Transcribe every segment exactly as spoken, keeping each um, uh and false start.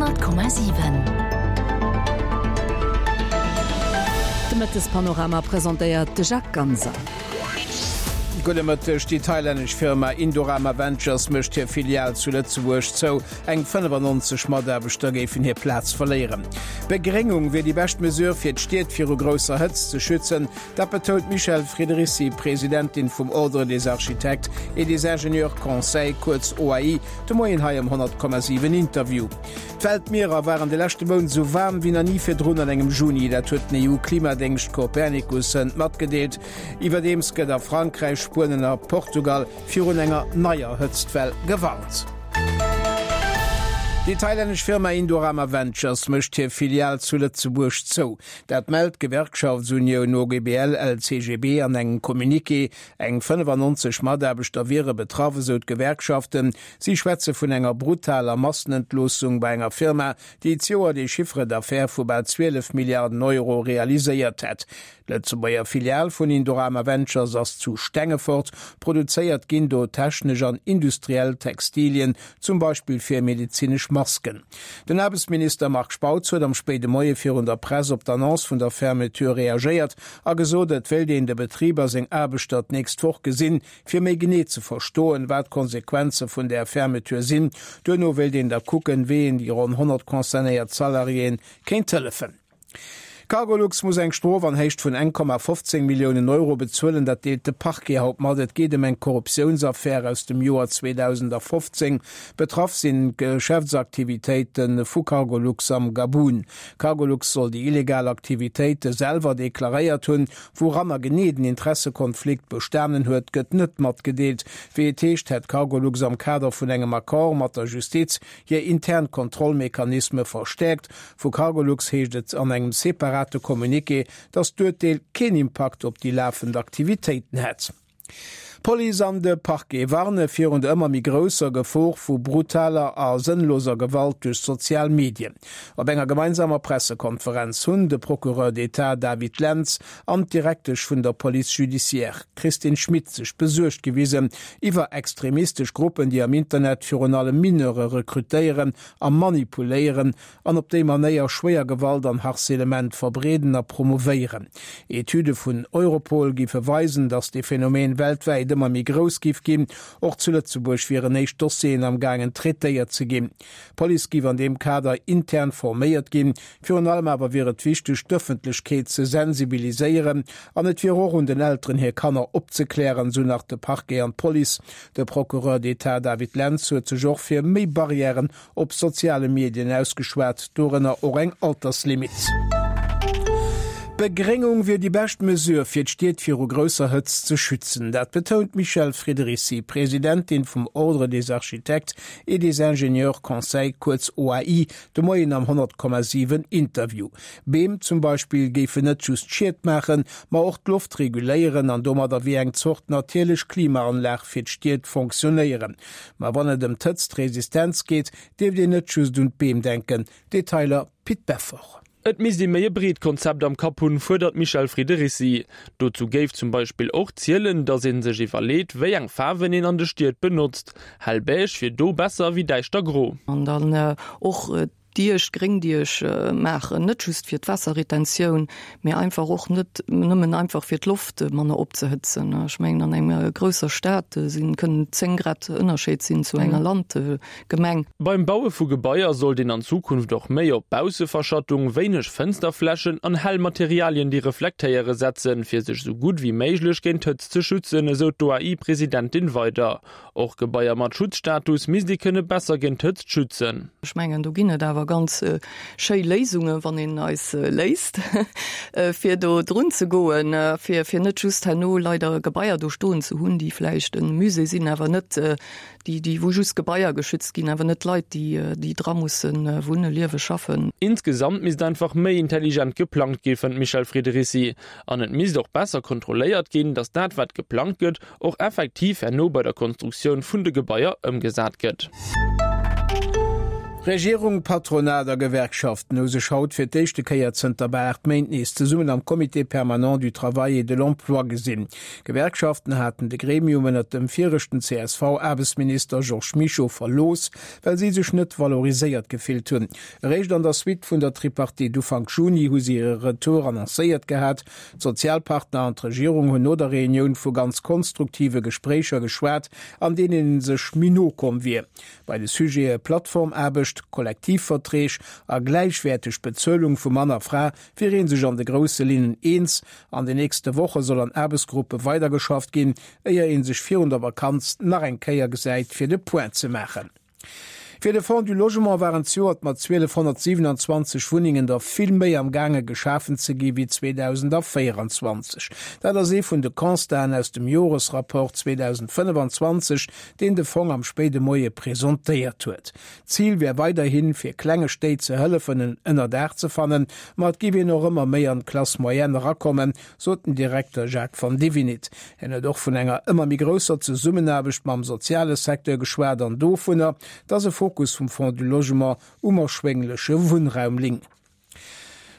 Honnert Komma siwen. De Mëttespanorama presentéiert de Jacques Ganser. Gudde Mëtteg, Déi thailännesch Firma Indorama Ventures mécht hir Filial zu Lëtzebuerg zou. Eng fënnefannonzeg Mataarbechter géifen hir Plaz verléieren. Begréngung wier déi bescht Mesure fir d'Stied viru grousser Hëtzt ze schützen, dat betount d'Michèle Friedericy, Presidentin vum Ordre des architectes et des ingénieurs conseils, kuerz O A I, de Moien hei am honnert Komma siwen Interview. D'Weltmierer waren de leschte Mount esou waarm wéi nach ni virdrun an engem Juni. Dat huet den E U-Klimadéngscht Copernicus hënt matgedeelt. Iwwerdeems gëtt a Frankräich, Spuenien a Portugal virun enger neier Hëtztwell gewarnt. Déi thailännesch Firma Indorama Ventures mécht hir Filial zu Lëtzebuerg zou. Dat mellt d'Gewerkschaftsunioun O G B L L C G B an engem Communiqué. Eng fënnefannonzeg Mataarbechter wiere betraff, esou d'Gewerkschaften. Si schwätze vun enger brutaler Massenentloossung bei enger Firma, déi d'Joer de Chiffre d'affaires vu bal zwielef Milliarden Euro realiséiert hätt. D'Lëtzebuerger Filial vun Indorama Ventures ass zu Stengefort. Produzéiert ginn do technesch an industriell Textilien, zum Beispill fir medizinesch Masken. Den Aarbechtsminister Marc Spautz huet am spéide Moie virun der Press op d'Annonce vun der Fermeture reagéiert a gesot, et wéilt een de Betriber seng Aarbechter d'nächst Woch gesinn, fir méi genee ze verstoen, wat d'Konsequenze vun der Fermeture sinn. Duerno wéilt een da kucken, wéi een déi ronn honnert concernéiert Salariéen kéint hëllefen. Cargolux muss eng Strof an Héicht vun eng Komma fofzéng Milliounen Euro bezuelen, dat deelt de Parquet haut mat. Et geet ëm eng Korruptiounsaffär aus dem Joer zweedausendfofzéng. Betraff sinn Geschäftsaktivitéite vu Cargolux am Gabun. Cargolux soll déi illegal Aktivitéite selwer deklaréiert hunn, woranner genee den Interessekonflikt bestanen huet, gëtt net matgedeelt. Wéi et heescht, hätt Cargolux am Kader vun engem Accord mat der Justiz hir intern Kontrollmechanisme verstärkt. Vu Cargolux heescht et an engem separate Communiqué, dass d'Urteel keen Impakt op déi lafend Aktivitéiten hätt. Police an de Parquet warne virun der ëmmer méi grousser Gefor vu brutaler a sënnloser Gewalt duerch sozial Medien. Op enger gemeinsamer Pressekonferenz hunn de Procureur d'État David Lentz an d'Direktesch vun der Police judiciaire Christine Schmit sech besuergt gewisen iwwer extremistesch Gruppen, déi am Internet virun allem Mineure rekrutéieren a manipuléieren an op déi Manéier schwéier Gewalt an Harcèlement verbreeden a promovéieren. Etüde vun Europol gi verweisen, dass de Phänomen weltwäit ëmmer méi grouss giff ginn. Och zu Lëtzebuerg wieren éischt Dossieren am gaangen traitéiert ze ginn. D'Police giff an deem Kader intern forméiert ginn. Virun allem awer wier et wichteg, d'Ëffentlechkeet ze sensibiliséieren an et wier och un den Elteren hir Kanner opzeklären, sou nach de Parquet an d'Police. De Procureur d'État David Lentz huet sech och fir méi Barrièren op soziale Medien ausgeschwat, dorënner och eng Alterslimit. Begréngung wier déi bescht Mesure fir d'Stied viru grousser Hëtzt ze schützen. Dat betount Michèle Friedericy, Presidentin vum Ordre des architectes et des ingénieurs conseils, kuerz O A I, de Moien am honnert Komma siwen Interview. Beem zum Beispill géifen net just Schied maachen, ma och d'Loft reguléieren an domadder wéi eng Zort natierlech Klimaanlag fir d'Stied fonctionnéieren. Ma wann et ëm d'Hëtztresistenz geet, dierft een net just un d'Beem denken. Detailer Pit Beffort. Et misst ee méi e breet Konzept am Kapp hunn, fuerdert Michèle Friedericy. Dozou géif zum Beispill och zielen, dass een sech iwwerleet, wéi eng Faarwen een an de Stied benotzt. Hellbeige wier do besser wéi däischter gro. An dann, äh, och, äh, Dierch, Gréngdierch, äh, maachen, net just fir d'Wasserretentioun, mee einfach och net nëmmen einfach fir d'Loft manner opzehëtzen. Ech mengen, an enger grousser Stad, äh, sinn, kënnen zéng Grad Ënnerscheed sinn zu enger Mhm. Landgemeng. Beim Baue vu Gebaier sollt een an Zukunft och méi op Bausseverschattung, wéineg Fënsterflächen an hell Materialien, déi reflektéiere setzen, fir sech sou gutt wéi méiglech géint d'Hëtzt ze schützen, esou d'O A I-Presidentin weider. Och Gebaier mat Schutzstatus misst ee kënne besser géint d'Hëtzt schützen. Ech mengen, do ginn et awer ganz, äh, schéi Léisunge, wann een eis, äh, léist, äh, fir do drun ze goen, äh, fir, fir net just herno leider Gebaier do stoen ze hunn, déi vläicht en Musée sinn, awer net, äh, déi, déi wou just Gebaier geschützt ginn, awer net Leit, déi, äh, déi dra mussen, äh, wunne, liewe, schaffen. Insgesamt misst einfach méi intelligent geplangt gi, fënnt Michèle Friedericy. An et misst och besser kontrolléiert ginn, dass dat, wat geplangt gëtt, och effektiv herno bei der Konstruktioun vun de Gebaier ëmgesat gëtt. Regierung, Patronat a Gewerkschaften hu sech haut fir d'éischte Kéier zënter bal aacht Méint nees zesummen am Comité permanent du travail et de l'emploi gesinn. D'Gewerkschaften haten de Gremium ënnert dem viregten C S V-Aarbechtsminister Georges Mischo verlooss, well si sech net valoriséiert gefillt hunn. Eréischt an der Suite vun der Tripartite Ufank Juni hu si hire Retour annoncéiert gehat. D'Sozialpartner an d'Regierung hunn no der Reunioun vu ganz konstruktive Gespréicher geschwat, an deenen ee sech méi no komm wier. Bei de Sujete Plattformaarbecht, Kollektivverträg a gläichwäerteg Bezuelung vu Mann a Fra wier ee sech an de grousse Linnen eens. An den nächste Woche soll an Aarbechtsgruppe weidergeschafft ginn, éier ee sech virun der Vakanz nach eng Kéier gesäit fir de Point ze maachen. Fir de Fonds du Logement waren zejoert mat zwielefhonnertsiwenanzwanzeg Wunnengen der vill méi am gaange geschafen ze gi wéi zweedausendvéierenzwanzeg. Dat ass ee vun de Constaten aus dem Joresrapport zweedausendfënnefanzwanzeg, deen de Fong am spéide Moie presentéiert huet. D'Zil wär weiderhin, fir klenge Stéit ze hëllefen en Ënnerdaach ze fannen, ma et géif een och ëmmer méi an d'Classe moyenne erakommen, sot den Direkter Jacques Vandivinit. Hien huet och vun enger ëmmer méi grousser Zesummenaarbecht mam soziale Secteur geschwat an dovunner, dass e Fokus vum Fonds du Logement um erschwéngleche Wunnraum ling.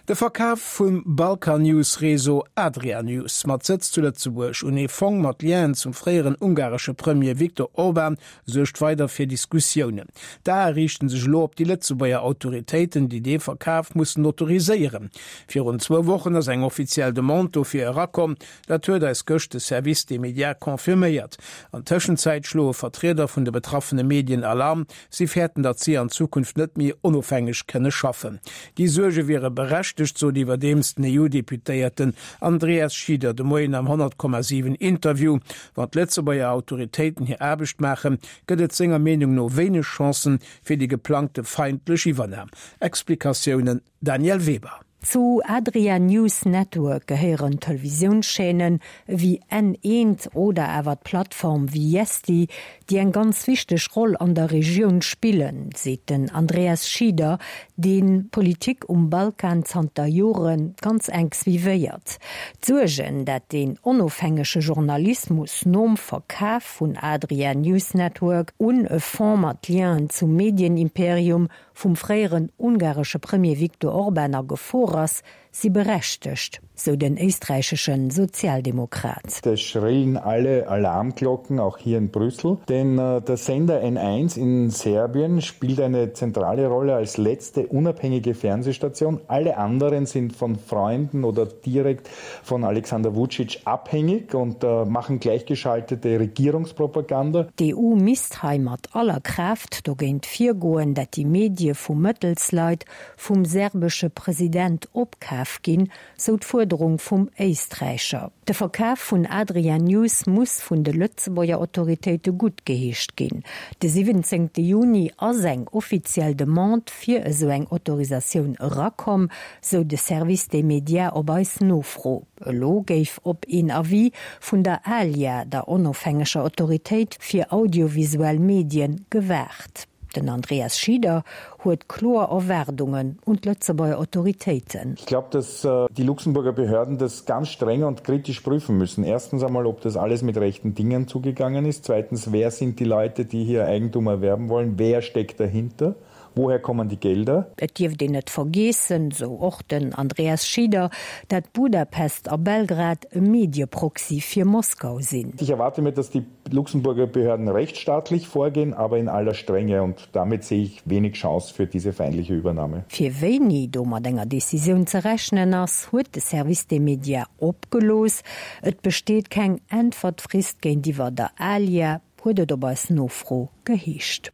De Verkaf vum Balkan-News-Réseau Adria News mat Sëtz zu Lëtzebuerg un ee Fong mat Lienen zum fréieren ungaresche Premier Viktor Orban suergt weider fir Diskussiounen. D'Ae riichten sech elo op déi Lëtzebuerger Autoritéiten, déi dee Verkaf mussen autoriséieren. Virun zwou Wochen ass eng offiziell Demande dofir erakomm, dat huet eis gëscht de Service des médias confirméiert. An Tëschenzäit schloe Vertrieder vun de betraffene Medien Alarm, si fäerten, datt si an Zukunft net méi onofhängeg kënne schaffen. Déi Suerge wiere berechtegt, sot iwwerdeems den E U-Deputéierten Andreas Schieder de Moien am honnert Komma siwen Interview. Wann d'Lëtzebuerger Autoritéiten hir Aarbecht maachen, gëtt et senger Meenung no wéineg Chancen fir déi geplangte feindlech Iwwernam. Explikatiounen Danièle Weber. Zu Adria News Network gehéieren Televisiounschaînen ewéi N eent oder awer d'Plattform Vijesti, déi eng ganz wichteg Roll an der Regioun spillen, seet den Andreas Schieder, deen d'Politik um Balkan zanter Jore ganz enk suivéiert. D'Suergen, dat den onofhängege Journalismus nom Verkaf vun Adria News Network un e Fonds mat Lienen zum Medienimperium vum fréieren ungaresche Premier Viktor Orban a Gefor ass, si berechtegt, sou den éisträichesche Sozialdemokrat. Es schrillen alle Alarmglocken, auch hier in Brüssel, denn äh, der Sender N eins in Serbien spielt eine zentrale Rolle als letzte unabhängige Fernsehstation. Alle anderen sind von Freunden oder direkt von Alexander Vucic abhängig und äh, machen gleichgeschaltete Regierungspropaganda. D'E U misst hei mat aller Kraaft dogéint virgoen, dat déi Medie vu Mëttelsleit vum serbesche President opkaf ginn, sou d'Fuerderung vum Éisträicher. De Verkaf vun Adria News muss vun de Lëtzebuerger Autoritéite guttgeheescht ginn. De siwwenzéngte Juni ass eng offiziell Demande fir esou eng Autorisatioun erakomm, sou de Service des médias op eis Nofro. Elo géif op een Avis vun der ALIA, der onofhängeger Autoritéit fir audiovisuell Medien, gewaart. Den Andreas Schieder huet kloer Erwaardungen un d'Lëtzebuerger Autoritéiten. Ich glaube, dass äh, die Luxemburger Behörden das ganz streng und kritisch prüfen müssen. Erstens einmal, ob das alles mit rechten Dingen zugegangen ist. Zweitens, wer sind die Leute, die hier Eigentum erwerben wollen? Wer steckt dahinter? Woher kommen die Gelder? Et dierft een net vergiessen, sou och den Andreas Schieder, dat Budapest a Belgrad e Medieproxy fir Moskau sinn. Ich erwarte mir, dass die Luxemburger Behörden rechtsstaatlich vorgehen, aber in aller Strenge und damit sehe ich wenig Chance für diese feindliche Übernahme. Fir wéini do mat enger Decisioun ze rechnen ass, huet de Service des médias opgelooss. Et besteet keng Äntwertfrist géintiwwer der ALIA, huet et op eis Nofro geheescht.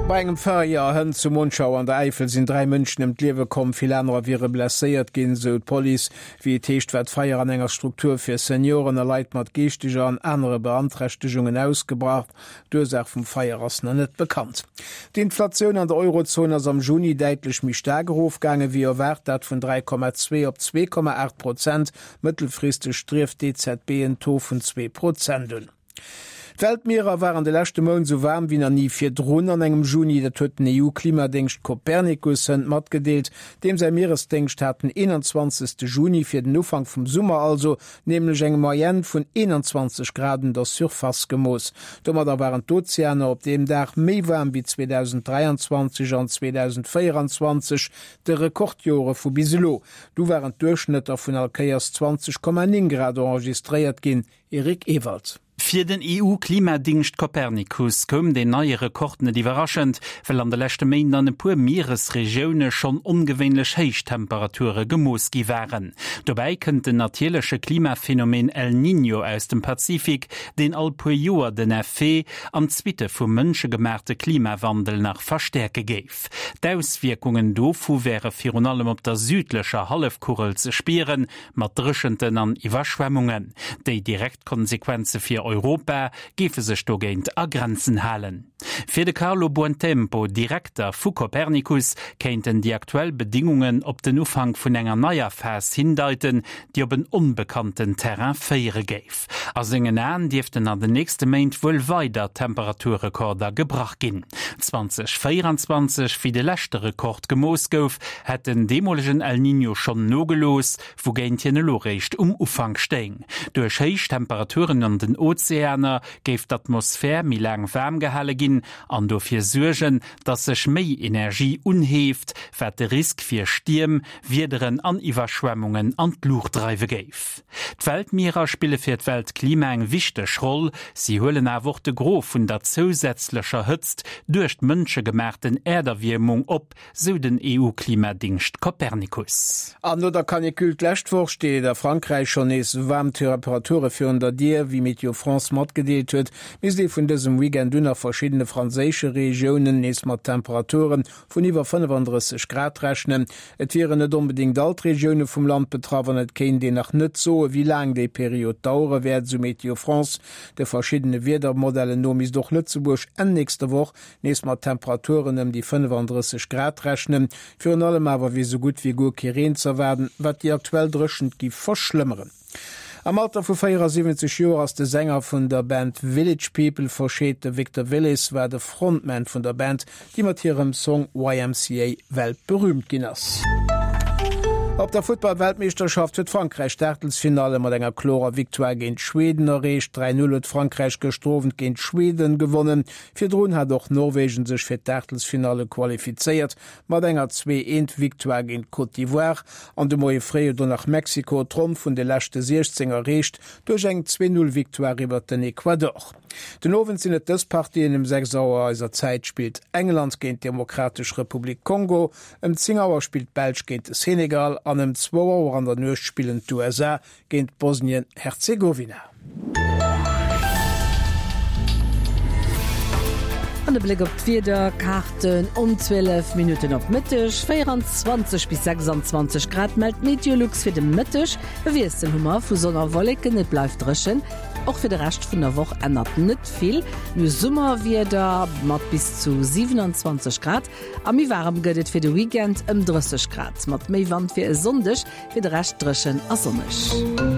Bei engem Feier hënt zu Monschau an der Äifel sinn dräi Mënschen ëm d'Liewe komm, vill anerer wiere blesséiert ginn, sou d'Police. Wéi et heescht, war d'Feier an enger Struktur fir Senioren a Leit mat geeschteger an anere Beanträchtegungen ausgebrach. D'Ursaach vum Feier ass nach net bekannt. D'Inflatioun an der Eurozon ass am Juni däitlech méi staark erofgaange wéi erwaart, dat vun dräi Komma zwee op zwee Komma aacht Prozent. Mëttelfristeg strieft d'E Z B en Taux vun zwee Prozent un. D'Weltmierer waren de leschte Mount sou waarm wéi nach ni virdrun an engem Juni, dat huet den EU-Klimadéngscht Copernicus hënt matgedeelt. Deem säi Mieresdéngscht hat den eenanzwanzegste Juni, fir den Ufank vum Summer also, nämlech eng Moyenne vun eenanzwanzeg Grad un der Surface gemooss. Domadder waren d'Ozeaner op deem Dag méi waarm wéi zweedausenddräianzwanzeg an zweedausendvéieranzwanzeg, de Rekordjore vu bis elo. Du waren d'Duerchschnëtter vun all Kéiers zwanzeg Komma néng Grad enregistréiert ginn. Eric Ewald. Fir den E U-Klimadingscht Copernicus koum deen neie Rekord net iwwerraschend, well an de leschte Méint an e puer Mieresregioune schonn ongewéinlech héich Temperature gemooss gi waren. Dobäi kënnt den natierleche Klimaphenomen El Niño aus dem Pazifik, deen all puer Joer den Effet an d'Suitte vum mënschegemaachte Klimawandel nach verstäerke géif. D'Auswierkungen dovu wäre virun allem op der südlecher Hallefkugel ze spieren, mat Dréchenten an Iwwerschwemmungen. Déi direkt Konsequenze fir Europa géife sech dogéint a Grenzen halen. Fir de Carlo Buontempo, Direkter vu Copernicus, kéinten déi aktuell Bedingungen op den Ufank vun enger neier Phas hindeiten, déi op en onbekannten Terrain féiere géif. A sengen Aen dierften an den nächste Méint wuel weider Temperaturrekorder gebrach ginn. zweedausendvéierundzwanzeg, wéi de leschte Rekord gemooss gouf, hätt den deemolegen El Niño schonn nogelooss, wougéint hien elo réischt um Ufank stéing. Duerch héich Temperaturen an den Ozeaner géif d'Atmosphär méi laang waarm gehale ginn an dofir suergen, datt sech méi Energie unheeft, wat de Risk fir Stierm, Wiederen an Iwwerschwemmungen an d'Luucht dreiwe géif. D'Weltmierer spille fir d'Weltklima eng wichteg Roll, si huelen awer och de Gros vun der zousätzlecher Hëtzt duerch d'mënschegemaachten Äerderwiermung op, sou den E U-Klimadingscht Copernicus. An no der Canicule d'lescht Woch steet a Frankräich schonn nees waarm Temperature virun der Dier. Wéi Météo France matgedeelt huet, misst ee vun dësem Weekend un a verschiddene franséische Regiounen nees mat Temperature vun iwwer fënnefandrësseg Grad rechnen. Et wieren net onbedéngt all d'Regioune vum Land betraff an et kéint een nach net soen, wéi laang déi Period dauere wäert, sou Météo France. De verschiddene Wiedermodellen no misst och Lëtzebuerg Enn nächster Woch nees mat Temperaturen ëm déi fënnefandrësseg Grad rechnen. Virun allem awer wier sou gutt wéi guer kee Reen z'erwaarden, wat déi aktuell Dréchent giff verschlëmmeren. Am Alter vu véierasiwwenzeg Joer ass de Sänger vun der Band Village People verscheet. De Victor Willis war de Frontman vun der Band, déi mat hirem Song Y M C A weltberüümt ginn ass. Op der Futtball-Weltmeeschterschaft huet Frankräich d'Aachtelsfinalle mat enger klorer Victoire géint Schweden erreecht. dräi Null huet Frankräich gëschter Owend géint Schweden gewonnen. Virdrun hat och Norwegen sech fir d'Aachtelsfinalle qualifizéiert mat enger zwee eent Victoire géint Côte d'Ivoire. An de Moie fréi huet och nach Mexiko d'Ronn vun de leschte siechzéng erreecht duerch eng zwee Null Victoire iwwert den Ecuador. Den Owend sinn et dës Partien, Ëm sechs Auer eiser Zäit spillt England géint d'Demokratesch Republik Kongo, ëm zéng Auer spillt d'Belsch géint de Senegal an ëm zwou Auer an der Nuecht spillen d'U S A géint Bosnien-Herzegowina. An de Bléck op d'Wiederkaarten um zwielef Minutten op Mëtteg, véierundzwanzeg bis sechsanzwanzeg Grad mellt Meteolux fir de Mëtteg. E Wiessel hu mer vu Sonn a Wolleken, et bleift dréchen. Och fir de Rescht vun der Woch ännert net vill. Mir hu Summerwieder mat bis zu siewenundzwanzeg Grad a méi waarem gëtt et fir de Weekend ëm drësseg Grad. Mat méi Wand fir e Sonndeg, fir de Rescht dréchen a sonneg.